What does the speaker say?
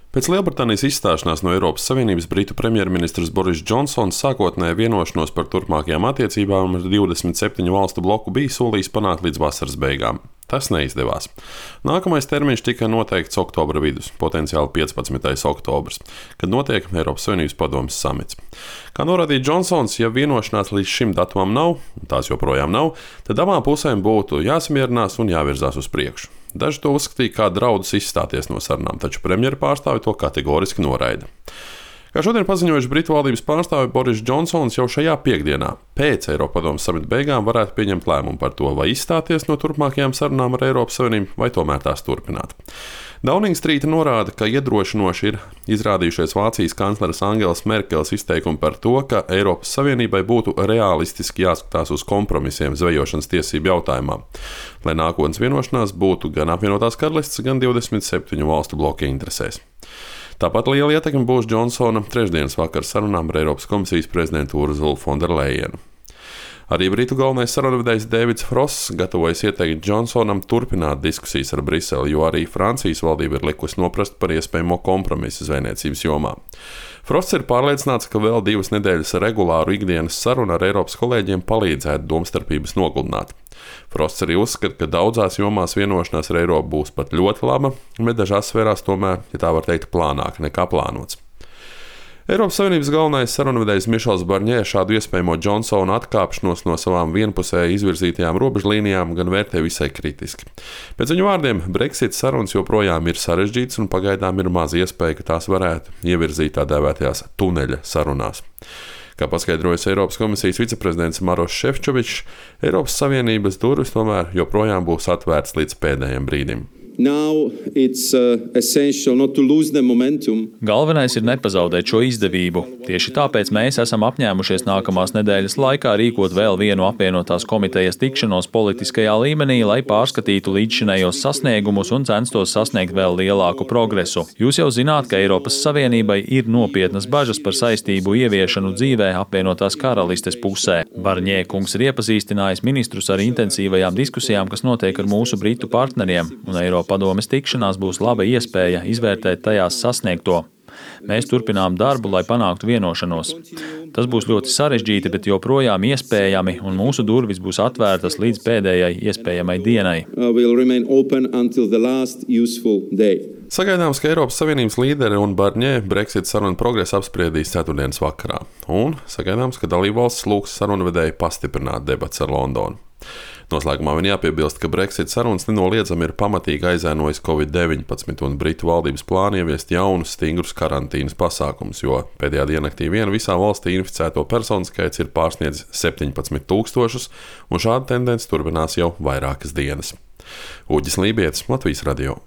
Pēc Lielbritānijas izstāšanās no Eiropas Savienības britu premjerministrs Boris Džonsons sākotnēji vienošanos par turpmākajām attiecībām ar 27 valstu bloku bija solījis panākt līdz vasaras beigām. Tas neizdevās. Nākamais termiņš tika noteikts oktobra vidus, potenciāli 15. oktobrs, kad notiek Eiropas Savienības padomes samits. Kā norādīja Džonsons, ja vienošanās līdz šim datumam nav, un tās joprojām nav, tad abām pusēm būtu jāsamierinās un jāvirzās uz priekšu. Daži to uzskatīja kā draudus izstāties no sarunām, taču premjera pārstāvi to kategoriski noraida. Kā šodien paziņojuši Britu valdības pārstāvi, Boris Džonsons jau šajā piekdienā, pēc Eiropadomes samita beigām, varētu pieņemt lēmumu par to, vai izstāties no turpmākajām sarunām ar Eiropas Savienību, vai tomēr tās turpināt. Downing Street norāda, ka iedrošinoši ir izrādījušies Vācijas kancleres Angelas Merkeles izteikumi par to, ka Eiropas Savienībai būtu realistiski jāskatās uz kompromisiem zvejošanas tiesību jautājumā, lai nākotnes vienošanās būtu gan apvienotās karalists, gan 27 valstu bloka interesēs. Tāpat liela ietekme būs Džonsona trešdienas vakara sarunām ar Eiropas komisijas prezidentu Urzulu Fonderlejenu. Arī Britu galvenais sarunvedējs Dēvids Frosts gatavojas ieteikt Džonsonam turpināt diskusijas ar Briseli, jo arī Francijas valdība ir likusi noprast par iespējamo kompromisu zvejniecības jomā. Frosts ir pārliecināts, ka vēl 2 nedēļas regulāru ikdienas sarunu ar Eiropas kolēģiem palīdzētu domstarpības nogludināt. Frosts arī uzskata, ka daudzās jomās vienošanās ar Eiropu būs pat ļoti laba, bet dažās sfērās tomēr, ja tā var teikt, plānāka nekā plānots. Eiropas Savienības galvenais sarunvedējs Mišels Barņē šādu iespējamo Džonsona atkāpšanos no savām vienpusēji izvirzītajām robežlīnijām gan vērtē visai kritiski. Pēc viņa vārdiem, Brexit sarunas joprojām ir sarežģītas un pagaidām ir maz iespēja, ka tās varētu ievirzīt tā dēvētajās tuneļa sarunās. Kā paskaidrojas Eiropas komisijas viceprezidents Maroš Šefčovičs, Eiropas Savienības durvis tomēr joprojām būs atvērtas līdz pēdējiem brīdim. Galvenais ir nepazaudēt šo izdevību. Tieši tāpēc mēs esam apņēmušies nākamās nedēļas laikā rīkot vēl vienu apvienotās komitejas tikšanos politiskajā līmenī, lai pārskatītu līdzšinējos sasniegumus un censtos sasniegt vēl lielāku progresu. Jūs jau zināt, ka Eiropas Savienībai ir nopietnas bažas par saistību ieviešanu dzīvē apvienotās karalistes pusē. Barņē kungs ir iepazīstinājis ministrus ar intensīvajām diskusijām, kas notiek ar mūsu britu partneriem, un Eiropadomes tikšanās būs laba iespēja izvērtēt tajās sasniegto. Mēs turpinām darbu, lai panāktu vienošanos. Tas būs ļoti sarežģīti, bet joprojām iespējami, un mūsu durvis būs atvērtas līdz pēdējai iespējamai dienai. Sagaidāms, ka Eiropas Savienības līderi un Barņē Brexit sarunu progresu apspriedīs ceturtdienas vakarā, un sagaidāms, ka dalībvalstis lūgs sarunvedēju pastiprināt debats ar Londonu. Noslēgumā vien jāpiebilst, ka Brexit sarunas nenoliedzami ir pamatīgi aizēnojis Covid-19 un Britu valdības plānu ieviest jaunus stingrus karantīnas pasākumus, jo pēdējā diennaktī vien visā valstī inficēto personu skaits ir pārsniedzis 17,000, un šāda tendence turpinās jau vairākas dienas. Uģis Lībietis, Latvijas radio.